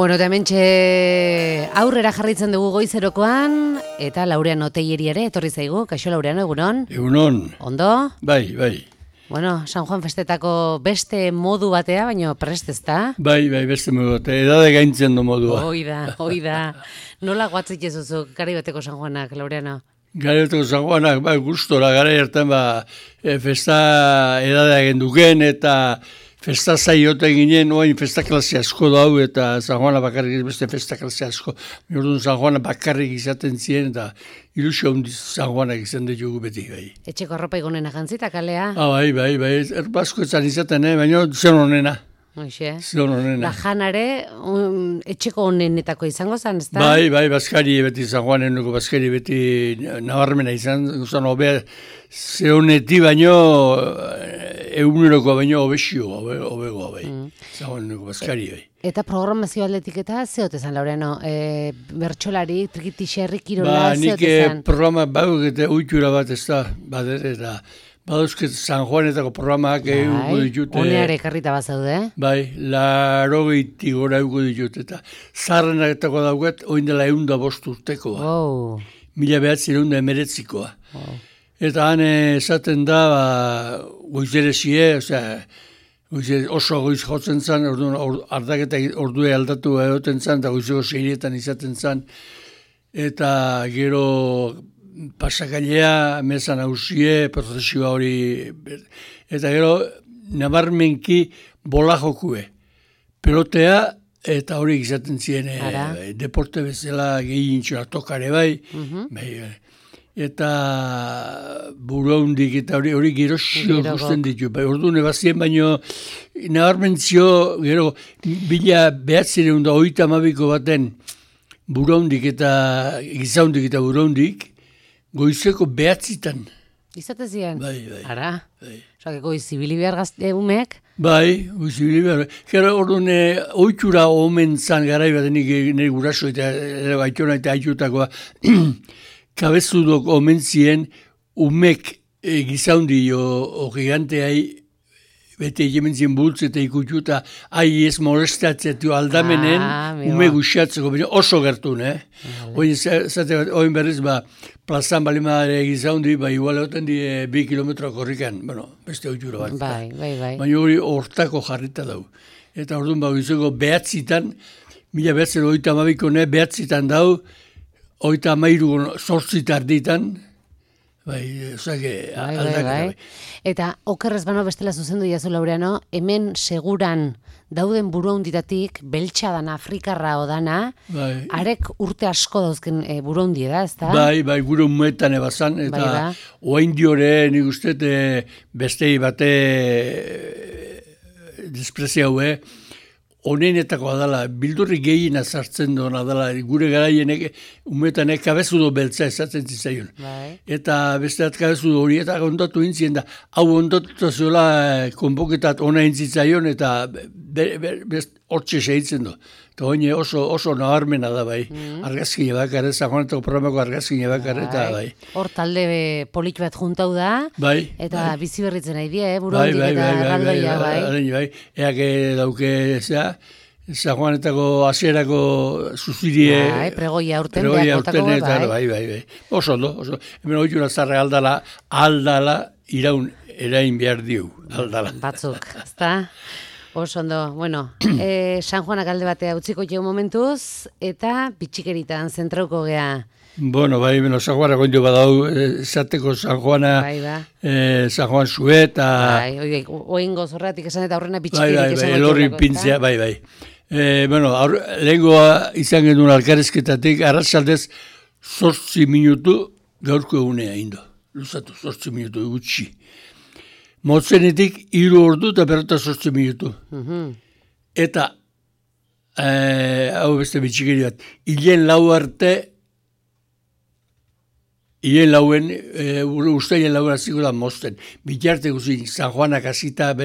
Bueno, eta hementxe aurrera jarraitzen dugu goizerokoan, eta Laureano Teieri ere etorri zaigu. Kaixo Laureano, egunon? Egunon. Ondo? Bai, bai. Bueno, San Juan festetako beste modu batea, baina prest ez da? Bai, beste modu batea. Edade gaintzen du modua. Hoi da. Nola guatzik jezuzu gari bateko San Juanak, Laureano? Gari bateko San Juanak, bai, gustora, gara hartan, festa edadea genduken, eta festa zaiote ginen, oain festa klase asko dau, eta San Juana bakarrik beste festa klase asko. Orduan San Juana bakarrik izaten ziren, eta ilusio handiz San Juanak izan ditugu beti, bai. Etxeko arropa igonen ajantzita, kalea? Bai, erbasko etzan izaten, baina zen honena. Hoxe. Zen honena. Da janare, etxeko honenetako izango zen, ez da? Bai, Baskari beti, San Juaneneko Baskari beti nabarmena izan, guztan hobe, ze honeti baino, eguneroko baino hobegoa, bai. San Juaneneko Baskari, bai. Eta programazio aldetik eta zeote zan, Laureano? Bertxolari, trikitixerri, kirola, zeote zan? Nik programa bauk eta uitura bat ez da, eta badauzket San Juanetako programak eguko ditut. Honeare karrita bat zaude, Bai, 80 gora eguko ditut, eta zarrenetako dauket, oin dela 105 urtekoa. Wow. 1919koa. Wow. Eta han esaten da, goizerezie, oso goiz jotzen zan, ardaketa ordue aldatu egoten zan, eta goizeko 6etan izaten zan, eta gero pasakailea, mezan hausie, prozesioa hori, eta gero nabarmenki bola jokue. Pelotea, eta hori izaten ziren, deporte bezala gehiintxoa tokare bai, eta buruaundik eta hori gerosio guztien ditu. Orduan ebazien baino, nabarmentzio, gero, 1930ko baten buruaundik eta gizaundik eta buruaundik, goizeko 9:00. Izate ziren? Bai. Ara? Bai. Osakeko izibili behar gazte umek? Bai, izibili behar. Gero orduan oitura omen zan garai bat nire guraso eta baitona eta aitutakoa kabezudok omen ziren umek gizaundi o giganteai bete hemen bultz eta ikutu eta ez molestatzea aldamenen ume guxiatzeko, oso gertun, Oin berriz, plazan balimadare gizaundi, igual egoten di 2 kilometro korrikan, beste oitura bat. Bai. Baina hori hortako jarrita dau. Eta orduan izango 9:00, 1932ko 9:00 dau, 33 8 ditan, Bai. Eta okerrez bano bestela zuzendu jazu, Laureano, hemen seguran dauden buruaunditatik, beltxadan Afrikarra odana, arek urte asko dauzken buruaundi da, ez da? Bai, gure umuetan ebazan, eta oain diore nik uste bestei bate desprezia hue, honenetako adala, bildurri gehiena sartzen doan adala, gure garaienek, umeetanek kabezudo beltza esatzen zizaion. Eta besteat kabezudo horietak ondatu intzien da, hau ondatu zuela konpoketat ona intzitzaion, eta hortxe sehitzen do. Eta hori oso nabarmena da, bai. Argazkine bakar, San Juanetako programako argazkine bakar, eta bai. Hor talde polit bat juntau da, eta bizi berritzen nahi die, buruandik eta erraldoia, bai. Eak dauke, San Juanetako hasierako zuzirie. Pregoia urten behar, bai. Oso ondo, hemen oitura zarre aldala iraun erain behar diu, aldala. Batzuk, ezta? Oso ondo, bueno, San Juanak alde batea utziko jau momentuz, eta bitxikeritan zentrauko gea. Bueno, San Juana goindu badau, esateko San Juana, San Juan Zuet, eta... Oin gozorratik esan eta horrena bitxikerik esan. Elorri pintzea, bai. Lehengoa izan genuen alkarezketatik, arratsaldez 8 minutu gaurko egunea indo. Luzatu, 8 minutu gutxi. Motzenetik 3 ordu eta 8 minutu. Eta, hau beste bitxikeri bat, hilen ustaien lauen aziko da mozten. Bitarte guzin, San Juanak azita,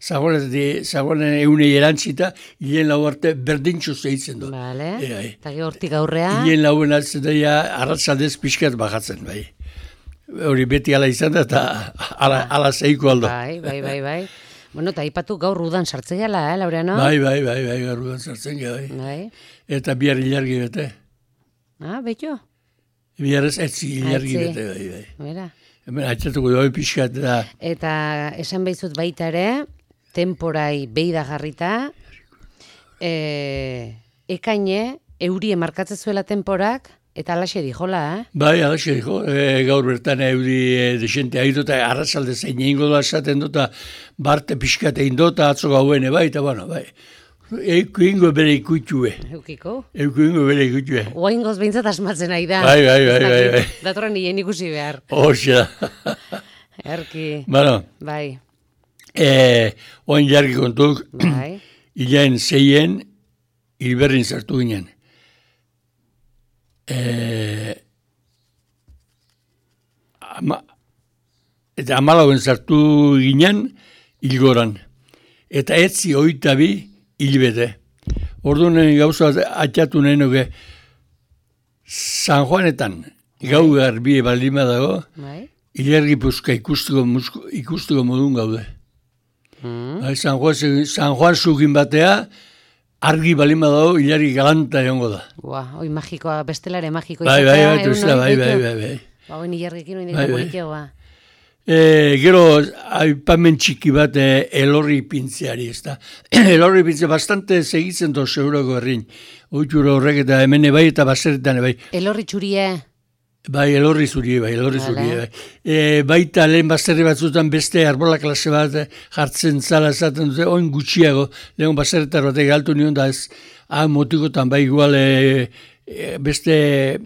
San Juanen egunei erantzita, hilen lau arte berdintxo zeitzen du. Bale, eta hortik aurrea. Hilen lauen atzen da, arratzaldez pixkat bajatzen, bai. Hori beti ala izan da, eta ala zeiko aldo. Bai. Bueno, eta aipatu gaur udan sartzen gala, Laureano? Bai, gaur udan sartzen gala, bai. Eta bihar ilargi bete. Betxo? Bihar ez ilargi bete, bai. Mira. Hemen atxatuko doi pixkat da. Eta esan behizut baita ere, temporai beida jarrita, ekaine, eurie markatzen zuela temporak, eta alaxe dijola, Bai, alaxe dijo. Gaur bertan euri desente haitu eta arrazalde zein egingo da esaten dut, barte pixkat egin dut, atzo gauen, bai, eta bueno, bai. Euko ingo bere ikutxue. Eukiko? Euko ingo bere ikutxue. Oaingoz behintzat asmatzen nahi da. Bai. Datorren nien ikusi behar. Hoxa. Erki. Bueno. Bai. Oain jarki kontuk. Bai. Ilaen zeien, hilberrin zartu ginen. Eta amalauen zartu ginen hilgoran. Eta etzi oitabi hilbete. Orduan gauza atxatu nahi nuke San Juanetan gau garbie baldima dago, hilergi puzka ikusteko modun gaude. San Juan zugin batea, argi balima dago, hilargi galanta egongo da. Hoi magikoa, bestelare magiko izatea. Bai. Hoi hilargikin hori dira politiagoa. Gero, aipamen txiki bat elorri pintzeari, ez da. Elorri pintzea bastante segitzen doz euroko herrin. Oitura horrek eta hemen bai eta baseretan bai. Elorri txurie? Bai, elorri zurie bai. Baita lehen baserri batzutan beste arbola klase bat jartzen zala esaten dute, oin gutxiago, lehen baseretar batek galtu nion da ez, motikotan bai igual beste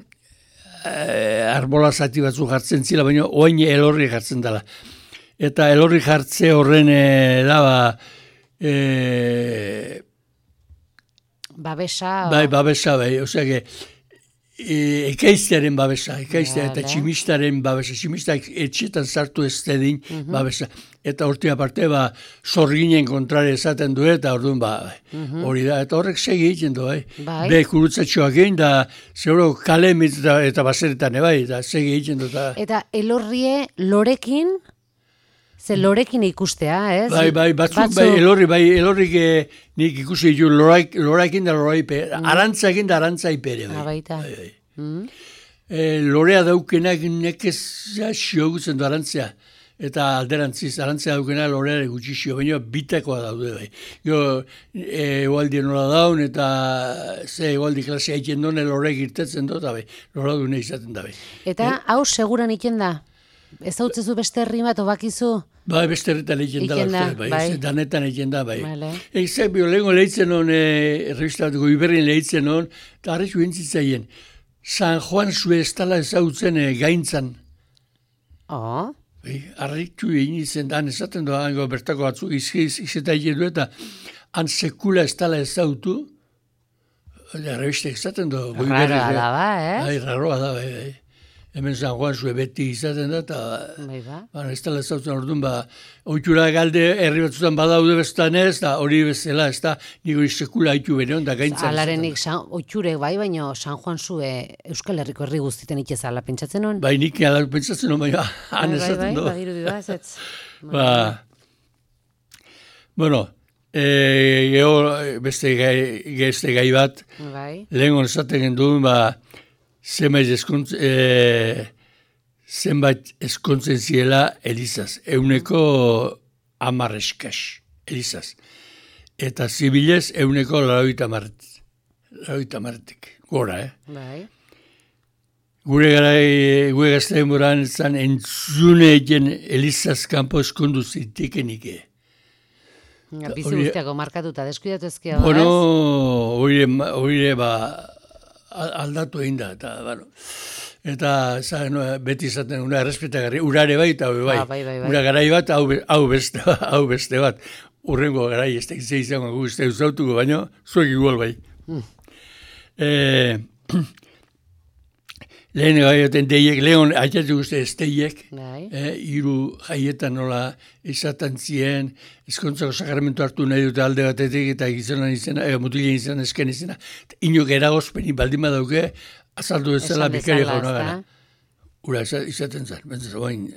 arbola zati batzu jartzen zila, baina oin elorri jartzen dela. Eta elorri jartze horren babesa? Bai, babesa, bai. Osea, ekaiztearen babesa, eta tximistaren babesa. Tximistak etxetan sartu ez dedin babesa. Eta horti aparte, zorginen kontrare esaten du, eta orduan, hori da. Eta horrek segi egiten du, bai. Be, kurutzatxoak egin, da, zeuro kale eta baseretan, bai, eta segi egiten du. Eta elorrie lorekin, ze lorekin ikustea, ez? Bai, batzuk, elorrik nik ikusi ditu loraekin da loraipe, arantzaekin da arantzaipere. Baita. Lorea daukenak nekez xiogutzen du arantzea, eta alderantziz, arantzea daukena loreare gutxi xio, baina bitakoa daude bai. Egualdi nola daun, eta egualdi klasea egiten duen lorek irtetzen dut, lora dune izaten da bai. Eta hau seguran iken da? Ez hau tzezu beste herri bat, obakizu? Bai, beste herritan egiten da, danetan egiten da, bai. Ezak lehenko lehitzen hon, revista bat Goiberrin lehitzen hon, eta harretxu entzitzaien, San Juan zue ez tala ezautzen gaintzan. Harretxu egin izen, han esaten doa, bertako batzuk izeta egin du, eta han sekula ez tala ezautu, revista esaten doa. Raroa da, bai? Raroa da, bai. Hemen San Juan zue beti izaten da, eta ez tala ezautzen orduan, oitura galde herri batzutan badaude bestan ez, da hori bezala, ez da, niko sekula haitu bere hon, da gaintzan. Alarenik oiture bai, baina San Juan zue Euskal Herriko herri guztiten itxezala pentsatzen hon? Bai, nik ala pentsatzen hon, baina han esaten do. Bai, dirudi ba, ez. Bueno, beste gai bat, lehen hon esaten genduen, zenbait eskontzen ziela Elizaz. Euneko 10 eskas Elizaz. Eta zibilez euneko 80 gora, Gure gazte demoran zan entzune egen Elizaz kanpo eskondu zitekenik. Bizi guztiako markatuta, deskuidatu ezkia. Bueno, oire aldatu egin da, eta beti izaten, una errespetagarri, urare bai, eta bai, ura garai bat, hau beste bat, urrengo garai, ez da izango guzti eusautuko, baina zuek igual bai. Lehen gaioten deiek, lehen haitatu guzti ez deiek, hiru jaietan nola izaten zien, ezkontzako sakramentu hartu nahi dute alde batetik eta gizonan izena, mutilen izena, esken izena, inok eragozpeni baldima dauke, azaldu ezela bikari jauna gara. Ura izaten zen, oain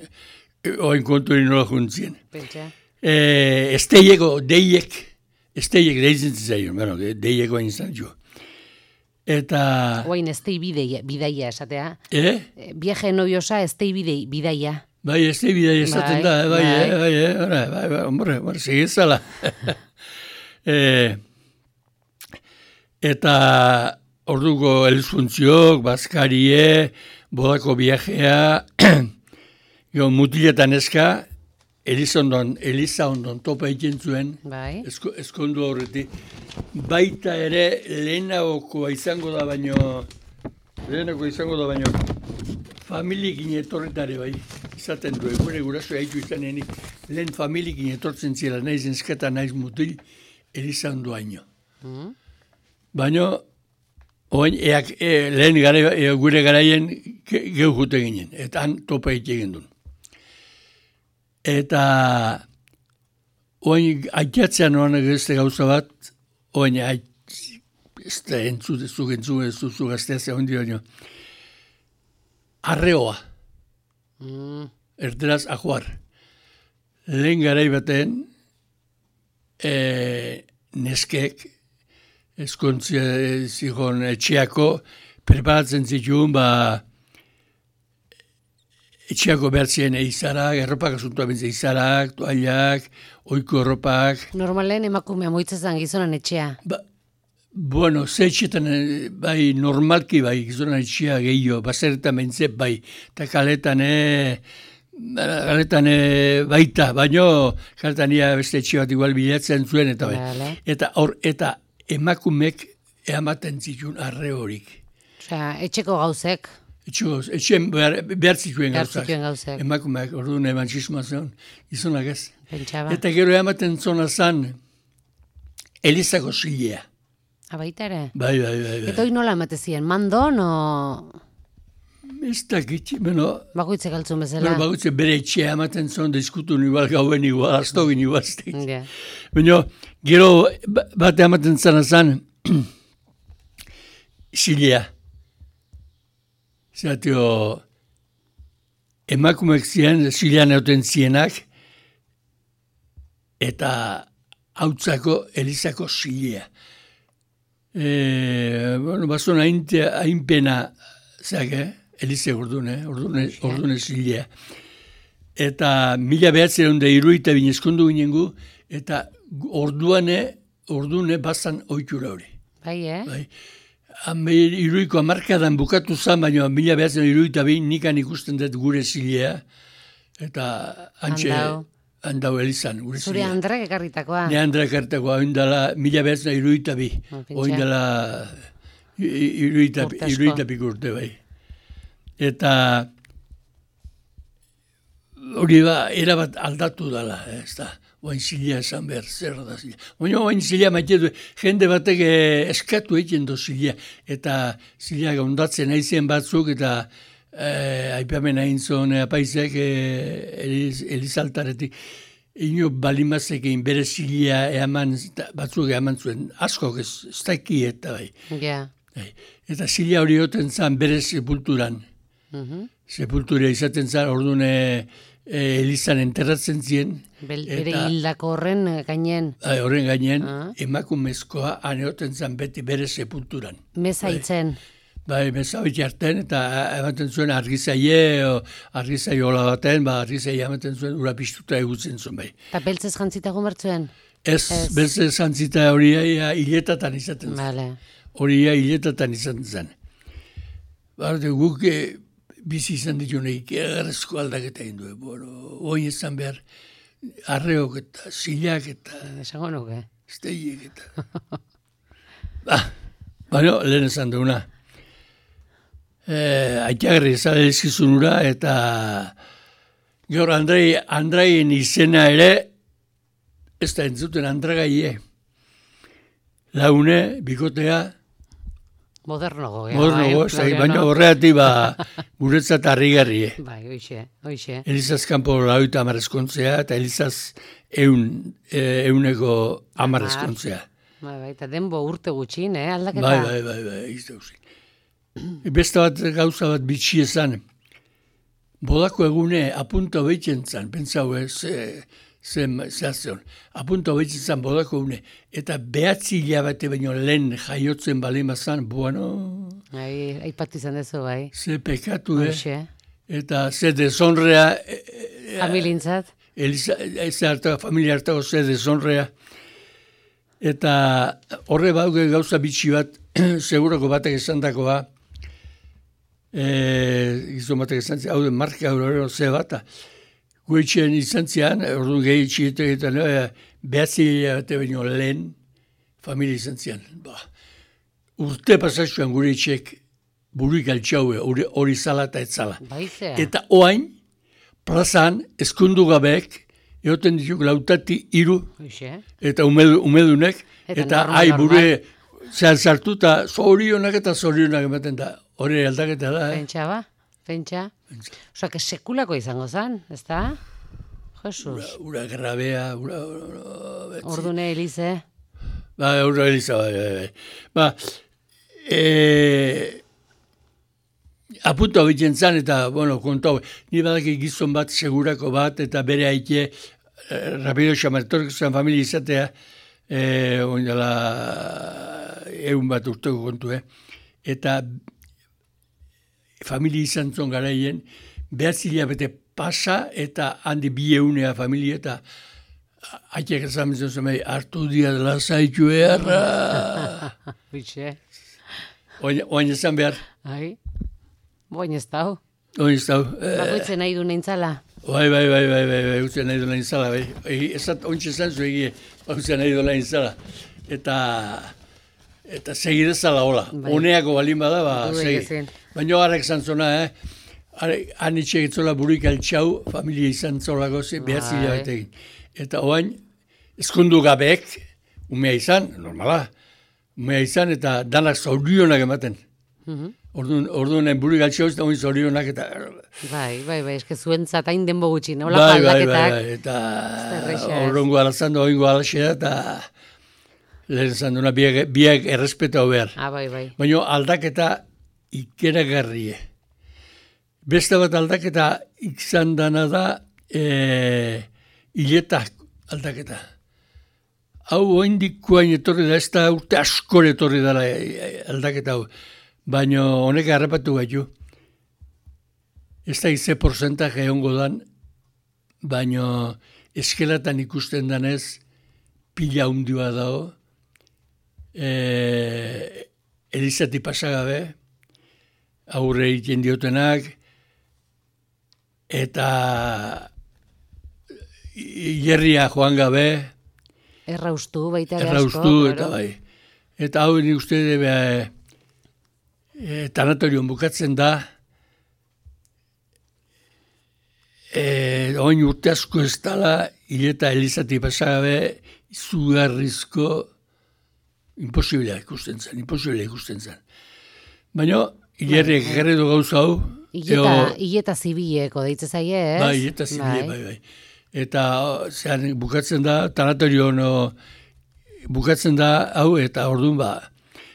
kontuari nola juntzien. esteieko deiek deitzen zaion, bueno, deieko izan jo. Eta... Oain estei bidaia esatea. Viaje noviosa estei bidaia. Bai, estei bidaia esaten da, bai, hombre, segizala. Eta orduko elizfuntziok, bazkarie, bodako viajea, mutiletan eska, Eliza ondon topa egiten zuen, eskondu horretik. Baita ere lehenagokoa izango da baino, familiekin etorretare bai, izaten du, gure guraso haitu izanenik, lehen familiekin etortzen zela, naiz enzketa, naiz mutil, Eliza ondo haino. Baina, lehen gure garaien gehu jute ginen, eta han topa egiten duen. Eta oain aitatzean oan egizte gauza bat, oain ez da entzuzu gazteazea hondi baino. Arreoa. Erderaz ajuar. Lehen garai baten neskek eskontzia zigon etxeako preparatzen zituen etxeako behartzien eizarak, erropak asuntua bentze eizarak, toallak, oiko erropak. Normalen emakumea moitzezan gizonan etxea. Bueno, ze etxetan, bai, normalki bai, gizonan etxea gehiago, bazeretan bentze, bai, eta kaletan baita, baino, kaletan beste etxe bat igual bilatzen zuen, eta bai. Eta emakumek ematen zituen arre horik. Osea, etxeko gauzek. Etxean behar zituen gauzak. Emakumeak, orduan emantzismoa zen, gizonak ez. Pentsaba. Eta gero ematen zona zan, Elizako zilea. Baita ere? Bai. Eta hori nola ematezien, mandon o... Ez dakit, bueno... Bakoitzek altzun bezala. Bakoitzek bere etxea ematen zon, diskutun igual gauen igual, astogin igual. Baina, gero bat ematen zan, zilea. Zatio, emakumeak ziren, zilean euten zienak, eta hautzako Elizako zilea. Bazon hainpena, Elize ordune zilea. Eta 1902 binezkondu ginen gu, eta ordune bazan oitura hori. Bai, Bai. Iruiko amarkadan bukatu zan, baina 1902 nikan ikusten dut gure zilea, eta handau Elizan. Zure Andrak ekarritakoa? Ne Andrak ekarritakoa, oindala 1902, oindala iruitapik urte bai. Eta hori erabat aldatu dela, ez da. Oain zilea esan behar, zer da zilea. Oain zilea maite du, jende batek eskatu egiten do zilea. Eta zilea ondatzen aizien batzuk, eta aipamen hain zon apaizek Elizaltaretik. Ino balimazekein bere zilea batzuk eman zuen, askok ez daki eta bai. Eta zilea hori oten zan bere sepulturan. Sepultura izaten zan, orduan Elizan enterratzen zien. Bere hildako horren gainen. Horren gainen, emakumezkoa aneoten zan beti bere sepulturan. Mezaitzen. Bai, mezaitzen harten, eta ematen zuen argizaie hola baten, argizaie ematen zuen ura piztuta egutzen zuen bai. Eta beltzez jantzita gumertzuen? Ez, beltzez jantzita hori hiletatan izaten zen. Hori hiletatan izaten zen. Guk bizi izan ditu nahik egarrezko aldaketa egin du. Oin ezan behar arreok eta zilak eta... Esango nuke. Esteiek eta... Baina, lehen esan duguna. Aitagarri ezan elizkizun ura eta... Gaur Andraien izena ere, ez da entzuten Andragaie. Laune, bikotea... Modernogo. Baina horreatik guretzat harrigarrie. Bai, hoxe. Elizaz kanpo lauita amarrezkontzea, eta Elizaz euneko amarrezkontzea. Bai, eta denbo urte gutxin, aldaketa? Bai, izte guzin. Beste bat gauza bat bitxi ezan, bodako egune apunta behitzen zan, pentsau ez, zehaztion. Apunta hobetzen zan bodako une. Eta 9 hilabete baino lehen jaiotzen balimazan, bueno... Aipatu izan dezu, bai. Ze pekatu, Eta ze deshonrea... Familintzat? Familia hartako ze deshonrea. Eta horre bauge gauza bitxi bat, segurako batek esan dakoa, gizon batek esan zian, hau den marka horrela ze bata. Guetxean izan zian, orduan gehi txietetan, behatzi baino lehen familia izan zian. Urte pasatxuan gure etxek buruik altxaue, hori zala eta etzala. Baizea. Eta oain, plazan, eskundu gabeek, egoten dituk 3 eta umedunek, eta bure sartu eta zorionak ematen da. Hori aldaketa da. Pentsa ba? Pentsa? Osa, que sekulako izango zen, ez da? Jesus. Ura grabea, Ordune Elize. Ura Elize, bai. Apunta hobiten zan, eta, kontau, ni badaki gizon bat, segurako bat, eta bere haike, rapido xamartorek zuen familia izatea, oindala, egun bat urteko kontu, eta familia izan zon garaien, 9 hilabete pasa, eta handi 200 familia, eta haitek esan zen hartu dia dela zaitu erra. Bitxe. Oain ezan behar. Boin ez dau. Oin ez dau. Bakoitzen nahi du neintzala. Bai, utzen nahi du neintzala. Ezat ontsa esan zu egie, utzen nahi du neintzala. Eta segidezala hola. Honeako balin bada, segi. Baina harrek izan zona, han itxek etzola buruik altxau, familia izan zolako, behatzila bat egin. Eta oain, eskundu gabeek, umea izan, normala, umea izan, eta danak zorionak ematen. Orduan buruik altxau, eta oin zorionak, eta... Bai, eske zuentzat hain denbo gutxi, nola aldaketak. Bai, eta horrengo alazan da, oingo alaxea, eta... Lehen zan duna, biak errespeta behar. Bai. Baina aldaketa ikeragarrie. Beste bat aldaketa izan dana da hiletak aldaketa. Hau oindikoain etorri da, ez da urte askor etorri dela aldaketa hau. Baina honek harrapatu gaitu. Ez da ize porcentaje egongo dan, baina eskelatan ikusten danez pila hundua dago. Elizati pasagabe, aurre egiten diotenak, eta hierria joan gabe. Erraustu baita asko. Erraustu, eta bai. Eta hau nik uste tanatorion bukatzen da, oin urte asko ez dala, hileta Elizati pasagabe, izugarrizko imposiblea ikusten zen. Baina, hilerriek gerredo gauza hau. Hileta zibileko deitze zaie, ez? Bai, hileta zibile, bai. Eta zean bukatzen da, tanatorion bukatzen da hau, eta orduan ba.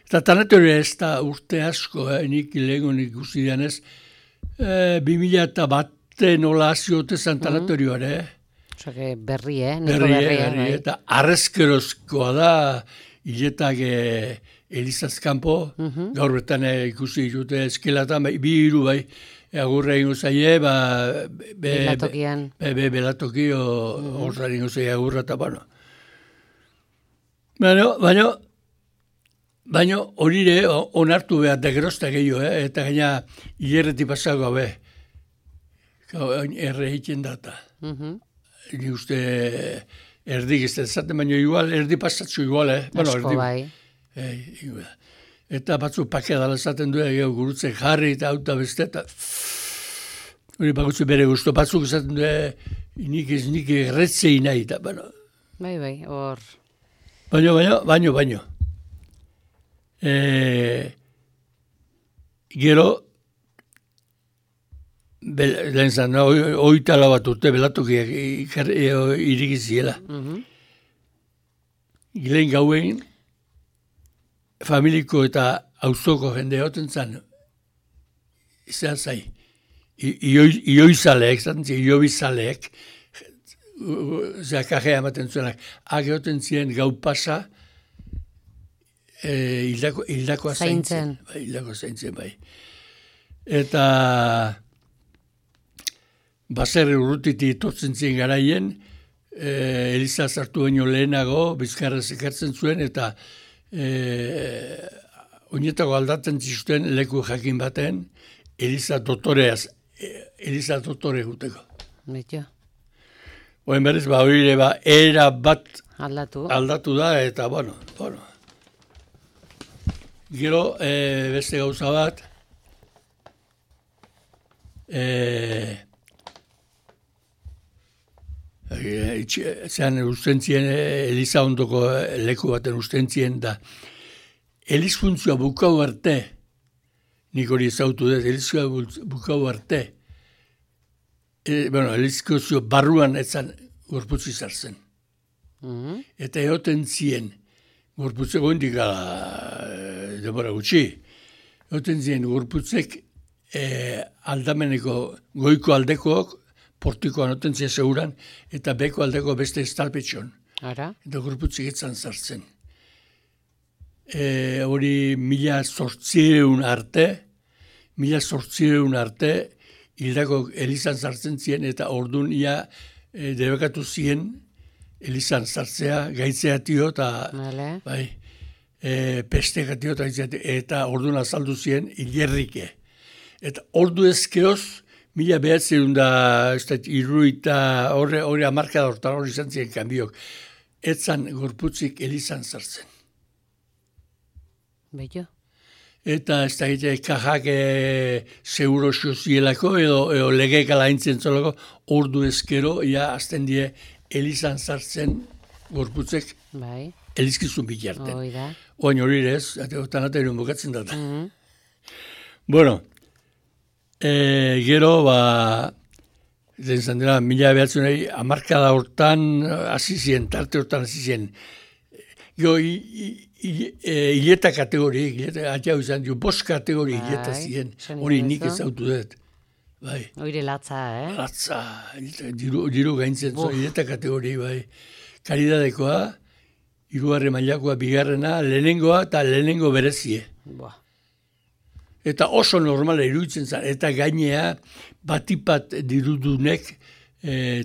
Eta tanatorio ez da urte asko, nik lehegon ikusi dianez, 2001 nola aziote zan tanatorioare. Osa, berri, Berri, eta arrezkerozkoa da, hiletak Elizazkampo, gaur betan ikusi ditute eskelatan, bi hiru bai, agurra ingo zaie, belatokian. Belatoki, horra ingo zaie agurra, eta bueno. Baina horire onartu behar degrozta gehiago, eta gaina hilerreti pasako be, erre egiten data. Ni uste... Erdik ez da zaten, baina igual, erdi pasatzu igual, Asko bai. Eta batzu pakea dala zaten du, gurutzen jarri eta auta beste, eta hori bakutzu bere guztu, batzuk zaten du, nik erretzei nahi, eta bueno. Bai, hor. Baino. Gero, lehen zan, oitala bat urte belatokiak irikiziela. Lehen gauen, familiko eta auzoko jende hoten zan, izan zai, ioizaleek, ioizaleek, kajea ematen zuenak, ageoten ziren gau pasa, hildakoa zaintzen. Hildakoa zaintzen, bai. Eta baserri urrutiti tortzen ziren garaien, Eliza sartu baino lehenago, bizkarrez ekartzen zuen, eta oinetako aldatzen zizuten leku jakin baten, Eliza dotore guteko. Betio. Oen berriz, hori era bat aldatu da, eta bueno. Gero, beste gauza bat, zean ustentzien, Eliza ondoko leku baten ustentzien da, Eliz funtzioa bukau arte, nik hori ezautu dut, Elizkoa bukau arte, Elizkozio barruan etzan gorputzi zartzen. Eta egoten zien, gorputzeko indik demora gutxi, egoten zien gorputzek aldameneko goiko aldekoak, portikoan oten zien seguran, eta beko aldeko beste estalpetxon. Eta gorputzik etzan zartzen. Hori 1800 arte, hildako Elizan sartzen ziren, eta orduan ia debekatu ziren Elizan sartzea, gaitzea tio, eta pesteka tio, eta orduan azaldu ziren hilerrike. Eta ordu ezkeoz, 1900 irruita, hori amarkada hortan hori izan ziren kanbiok, etzan gorputzik Elizan sartzen. Bello. Eta ez da egite kajak seguro zielako edo legek alaintzen zolako, ordu ezkero, azten die Elizan sartzen gorputzek elizkizun bilarten. Oain hori ez, otan aterion bukatzen dut. Bueno, gero, zan dira, 1900 amarkada hortan azizien, tarte hortan azizien. Gero, hileta kategori, atxau izan dio, 5 kategori hileta ziren, hori nik ezautu dut. Hori latza, Latza, diru gaintzen zuen, hileta kategori, Karidadekoa, 3. mailakoa, 2. lehenengoa eta lehenengo berezie. Eta oso normala iruditzen zen, eta gainea batipat dirudunek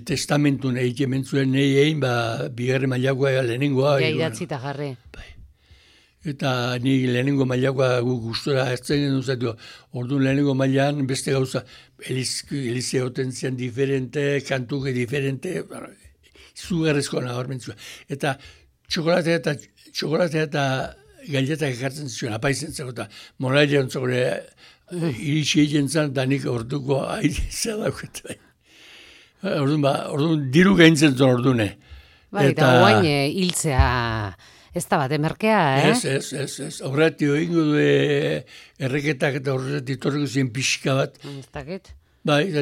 testamentun egiten zuen nahi egin, 2. mailakoa lehenengoa. Ja, idatzita jarri. Eta ni lehenengo mailakoa gustora ertzen genuen zaitu. Orduan lehenengo mailan beste gauza, Elize hoten zian diferente, kantuke diferente, zugarrezko nabarmentzua. Eta txokolatea eta gailetak ekartzen zuen, apaizen zego, eta morailean zogore iritsi egin zen, eta nik orduko aizea dauketa. Orduan diru gaintzen zuen ordune. Eta guain hiltzea ez da bat, emerkea, Ez. Horretio ingo du erreketak eta horretik torreko ziren pixka bat. Ez dakit. Eta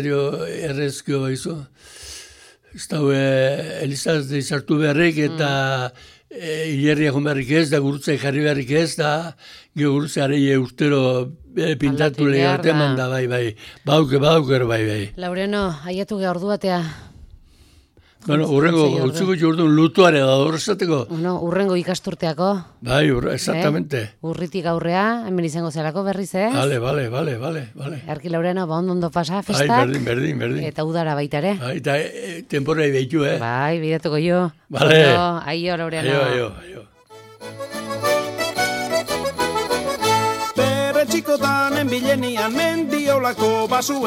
errezkio baizu. Ez da, Elizaz izartu beharrik eta hilerria joan beharrik ez, da gurutza jarri beharrik ez, da gurutza areie urtero pintatu lehiarte eman da, Bauker, Laureano, aiatu geha ordu batea. Urrengo, utzuko jordun lutuare da horretako. Urrengo ikasturteako. Exactamente. Urritik aurrea, hemen izango zelako berriz, ez? Vale. Erki Laureano, ondo pasa, festak. Berdin. Eta udara baita ere. Eta temporai behitu, Bidatuko jo. Vale. Aio, Laureano. Aio. Bere txikotan enbilenian mendiolako basu